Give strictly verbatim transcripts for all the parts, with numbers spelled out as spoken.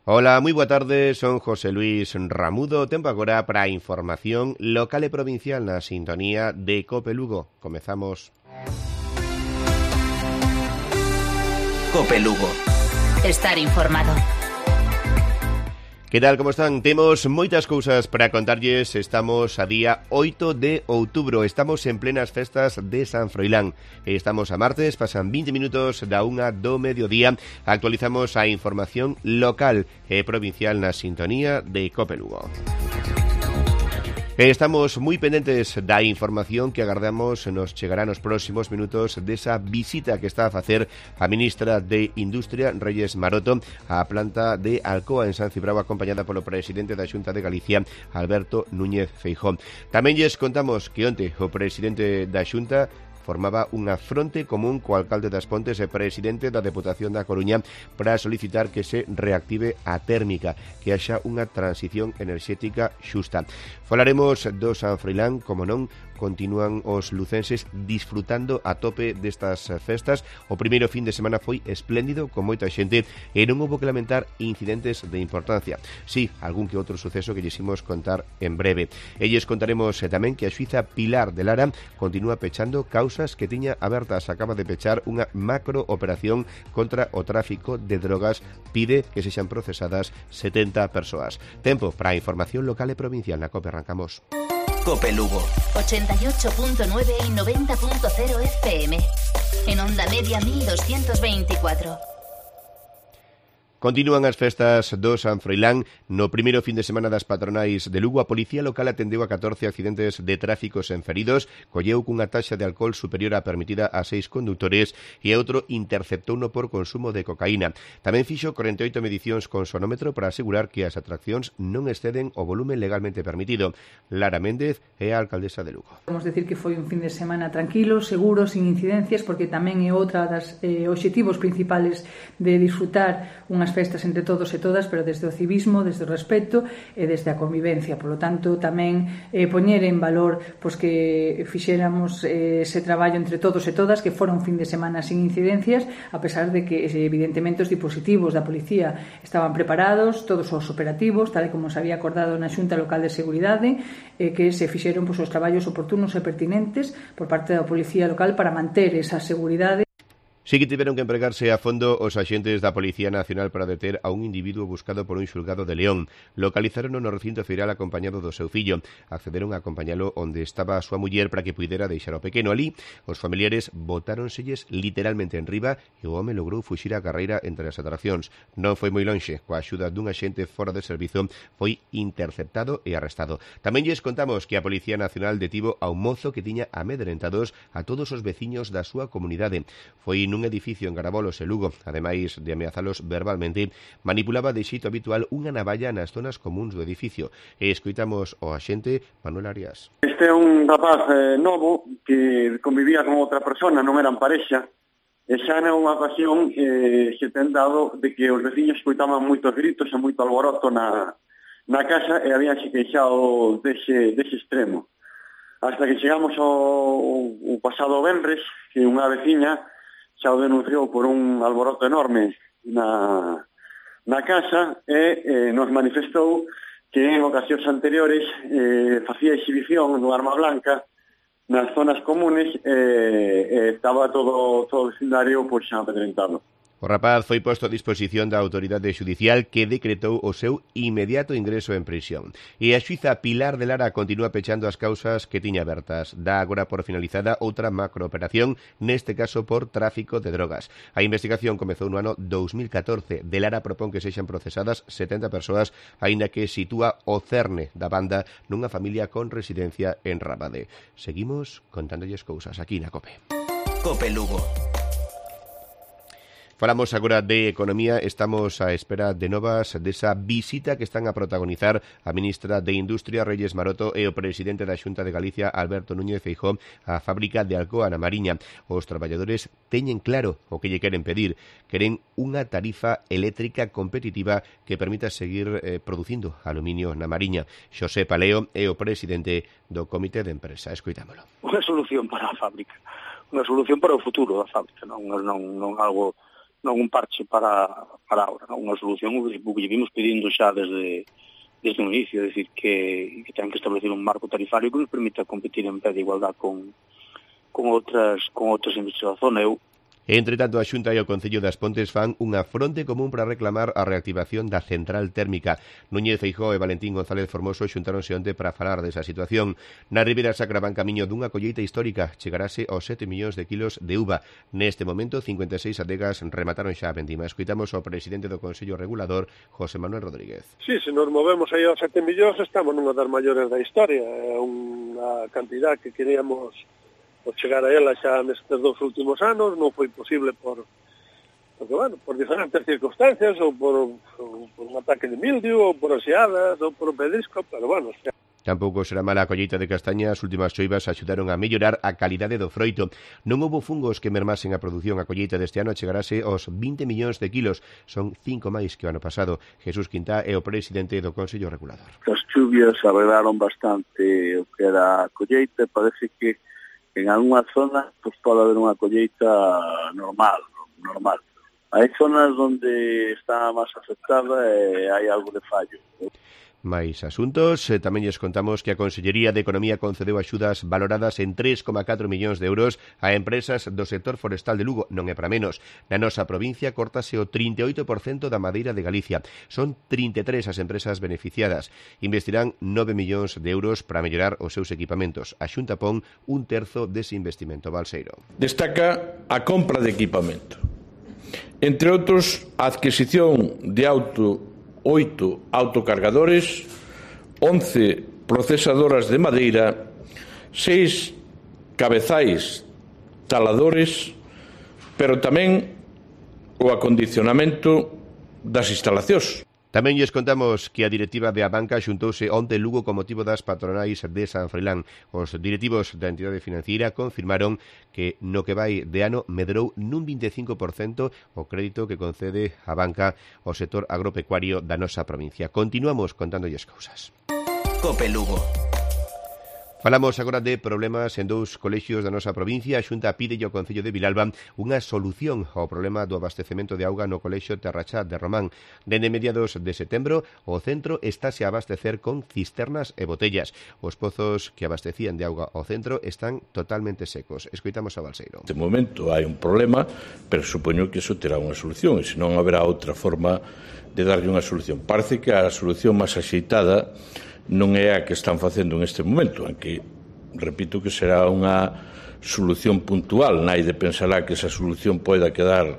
Ola, moi boa tarde, son José Luis Ramudo. Tempo agora para a información local e provincial na sintonía de Cope Lugo. Comezamos. Cope Lugo. Estar informado. Que tal, como están? Temos moitas cousas para contarlles. Estamos a día oito de outubro. Estamos en plenas festas de San Froilán. Estamos a martes, pasan vinte minutos da unha do mediodía. Actualizamos a información local e provincial na sintonía de Cope Lugo. Estamos moi pendentes da información que agardamos nos chegará nos próximos minutos desa visita que está a facer a ministra de Industria, Reyes Maroto, á planta de Alcoa en San Cibrao, acompañada polo presidente da Xunta de Galicia, Alberto Núñez Feijóo. Tamén lles contamos que onte o presidente da Xunta formaba unha fronte común co alcalde das Pontes e presidente da Deputación da Coruña para solicitar que se reactive a térmica, que haxa unha transición enerxética xusta. Falaremos do San Froilán, como non, continúan os lucenses disfrutando a tope destas festas. O primeiro fin de semana foi espléndido, con moita xente, e non houbo que lamentar incidentes de importancia. Sí, algún que outro suceso que lles imos contar en breve. E lles contaremos eh, tamén que a xuíza Pilar de Lara continúa pechando causas que tiña abertas. Acaba de pechar unha macro operación contra o tráfico de drogas. Pide que sexan procesadas setenta persoas. Tempo para a información local e provincial na COPE. Arrancamos. Cope Lugo. ochenta y ocho punto nueve y noventa punto cero F M. En onda media mil doscientos veinticuatro. Continúan as festas do San Froilán. No primeiro fin de semana das patronais de Lugo, a Policía Local atendeu a catorce accidentes de tráfico sen feridos, colleu cunha taxa de alcohol superior á permitida a seis condutores e outro interceptouno por consumo de cocaína. Tamén fixo corenta e oito medicións con sonómetro para asegurar que as atraccións non exceden o volumen legalmente permitido. Lara Méndez é a alcaldesa de Lugo. Vamos decir que foi un fin de semana tranquilo, seguro, sin incidencias, porque tamén é outra das eh, obxectivos principales de disfrutar unhas festas entre todos e todas, pero desde o civismo, desde o respeto e desde a convivencia. Por lo tanto, tamén eh, poñer en valor pois, que fixéramos eh, ese traballo entre todos e todas, que fora un fin de semana sin incidencias, a pesar de que evidentemente os dispositivos da policía estaban preparados, todos os operativos, tal e como se había acordado na Xunta Local de Seguridade, eh, que se fixeron pois, os traballos oportunos e pertinentes por parte da Policía Local para manter esa seguridade. Sí que tiveron que empregarse a fondo os axentes da Policía Nacional para deter a un individuo buscado por un xulgado de León. Localizaron no recinto feiral acompañado do seu fillo. Accederon a acompañalo onde estaba a súa muller para que puidera deixar o pequeno. Alí, os familiares botáronselles literalmente en riba e o home logrou fuxir a carreira entre as atraccións. Non foi moi lonxe. Coa axuda dun axente fora de servizo foi interceptado e arrestado. Tamén lles contamos que a Policía Nacional detivo a un mozo que tiña amedrentados a todos os veciños da súa comunidade. Foi nun edificio en Garabolos e Lugo. Ademais de ameazalos verbalmente, manipulaba de xeito habitual unha navalla nas zonas comuns do edificio. E escoitamos o axente Manuel Arias. Este é un rapaz eh, novo que convivía con outra persona, non eran parexa, e xa na unha ocasión eh, se ten dado de que os veciños escoitaban moitos gritos e moito alboroto na, na casa e habían se queixado dese, dese extremo. Hasta que chegamos ao, ao pasado venres, que unha veciña xa o denunciou por un alboroto enorme na, na casa e eh, nos manifestou que en ocasións anteriores eh, facía exhibición no arma blanca nas zonas comunes e eh, eh, estaba todo, todo o vecindario pois, xa amedrentado. O rapaz foi posto a disposición da autoridade xudicial que decretou o seu inmediato ingreso en prisión. E a xuíza Pilar de Lara continúa pechando as causas que tiña abertas. Dá agora por finalizada outra macrooperación, neste caso por tráfico de drogas. A investigación comezou no ano dous mil catorce. De Lara propón que sexan procesadas setenta persoas, aínda que sitúa o cerne da banda nunha familia con residencia en Rabade. Seguimos contándolles cousas aquí na COPE. Cope Lugo. Falamos agora de economía. Estamos á espera de novas desa visita que están a protagonizar a ministra de Industria, Reyes Maroto, e o presidente da Xunta de Galicia, Alberto Núñez Feijóo, á fábrica de Alcoa na Mariña. Os traballadores teñen claro o que lle queren pedir. Queren unha tarifa eléctrica competitiva que permita seguir eh, producindo aluminio na Mariña. Xosé Paleo é o presidente do Comité de Empresa. Escoitámolo. Unha solución para a fábrica, unha solución para o futuro da fábrica, non, non, non algo non un parche para, para ahora, non? Unha solución o que lle vimos pedindo xa desde, desde o inicio, é dicir, que, que ten que establecer un marco tarifario que nos permita competir en pé de igualdad con, con outras con outras industrias da zona. Eu Entre tanto, a Xunta e o Concello das Pontes fan unha fronte común para reclamar a reactivación da central térmica. Núñez Feijóo e Valentín González Formoso xuntáronse onte para falar desa situación. Na Ribeira Sacra van camiño dunha colleita histórica. Chegarase aos sete millóns de kilos de uva. Neste momento, cincuenta e seis adegas remataron xa a vendima. Escoitamos ao presidente do Consello Regulador, José Manuel Rodríguez. Sí, se nos movemos aí aos sete millóns, estamos nunha das maiores da historia. É unha cantidad que queríamos por chegar a ela xa nestes dos últimos anos, non foi posible por, porque, bueno, por diferentes circunstancias, ou por, ou por un ataque de mildio, ou por oseadas, ou por un pedrisco, pero, bueno, xa. Tampouco será mala a colleita de castaña. As últimas choivas axudaron a mellorar a calidade do froito. Non houbo fungos que mermasen a produción. A colleita deste ano chegarase aos vinte millóns de kilos. Son cinco máis que o ano pasado. Jesús Quintá é o presidente do Consello Regulador. As chuvias arreglaron bastante o que era a colleita. Parece que en algunha zona pues, pode haber unha colleita normal, normal. Hai zonas onde está máis afectada e hai algo de fallo. Mais asuntos, eh, tamén lles contamos que a Consellería de Economía concedeu axudas valoradas en tres coma catro millóns de euros a empresas do sector forestal de Lugo. Non é para menos. Na nosa provincia cortase o trinta e oito por cento da madeira de Galicia. Son trinta e tres as empresas beneficiadas. Investirán nove millóns de euros para mellorar os seus equipamentos. A Xunta pon un terzo dese investimento. Balseiro. Destaca a compra de equipamento. Entre outros, a adquisición de auto oito autocargadores, once procesadoras de madeira, seis cabezais taladores, pero tamén o acondicionamento das instalacións. Tamén lles contamos que a directiva de Abanca xuntouse onte en Lugo con motivo das patronais de San Froilán. Os directivos da entidade financiera confirmaron que no que vai de ano medrou nun vinte e cinco por cento o crédito que concede a banca ao sector agropecuario da nosa provincia. Continuamos contándolles cousas. Cope Lugo. Falamos agora de problemas en dous colexios da nosa provincia. A Xunta pide ao Concello de Vilalba unha solución ao problema do abastecemento de auga no colexio Terrachá de Román. Dende mediados de setembro, o centro estáse a abastecer con cisternas e botellas. Os pozos que abastecían de auga ao centro están totalmente secos. Escoitamos a Balseiro. De momento hai un problema, pero supoño que iso terá unha solución, e senón haberá outra forma de darlle unha solución. Parece que a solución máis axeitada non é a que están facendo neste momento, aunque repito que será unha solución puntual, naide pensará que esa solución poida quedar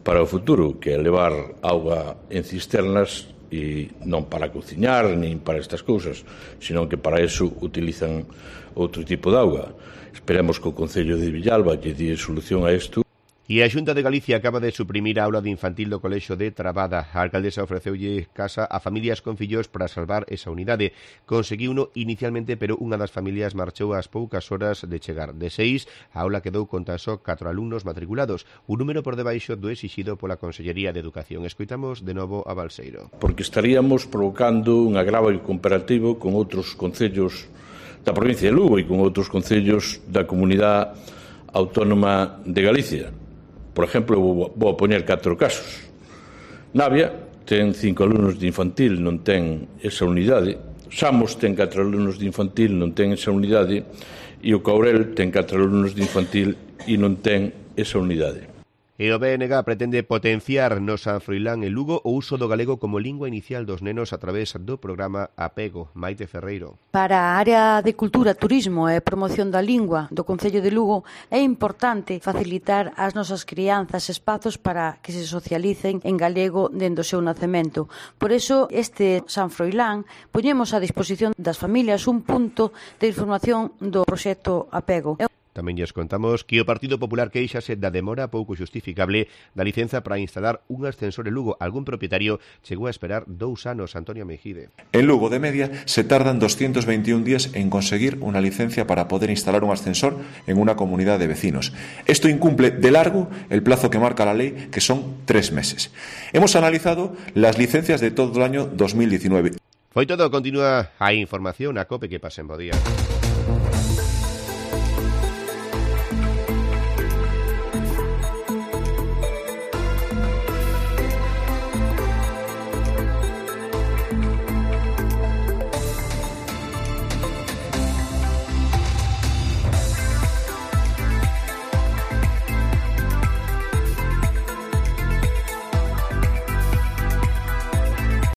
para o futuro, que é levar auga en cisternas e non para cociñar nin para estas cousas, senón que para eso utilizan outro tipo de auga. Esperemos que o Concello de Villalba lle dé solución a isto. E a Xunta de Galicia acaba de suprimir a aula de infantil do colexio de Trabada. A alcaldesa ofreceulle casa a familias con fillos para salvar esa unidade. Conseguiuno inicialmente, pero unha das familias marchou ás poucas horas de chegar. De seis, a aula quedou con tan só catro alumnos matriculados, un número por debaixo do exixido pola Consellería de Educación. Escoitamos de novo a Balseiro. Porque estaríamos provocando un agravio comparativo con outros concellos da provincia de Lugo e con outros concellos da comunidade autónoma de Galicia. Por exemplo, vou a poñer catro casos. Navia ten cinco alumnos de infantil, non ten esa unidade. Samos ten catro alumnos de infantil, non ten esa unidade. E o Caurel ten catro alumnos de infantil e non ten esa unidade. E o B N G pretende potenciar no San Froilán e Lugo o uso do galego como lingua inicial dos nenos a través do programa Apego. Maite Ferreiro. Para a área de cultura, turismo e promoción da lingua do Concello de Lugo é importante facilitar ás nosas crianzas espazos para que se socialicen en galego dende o seu nacemento. Por iso, este San Froilán poñemos a disposición das familias un punto de información do proxecto Apego. Tamén lles contamos que o Partido Popular queixase da demora pouco justificable da licenza para instalar un ascensor en Lugo. Algún propietario chegou a esperar dous anos. Antonio Mejide. En Lugo, de media, se tardan doscientos veintiún días en conseguir una licencia para poder instalar un ascensor en una comunidad de vecinos. Esto incumple de largo el plazo que marca la ley, que son tres meses. Hemos analizado las licencias de todo el año dos mil diecinueve. Foi todo, continúa a información a COPE, que pasen bo día.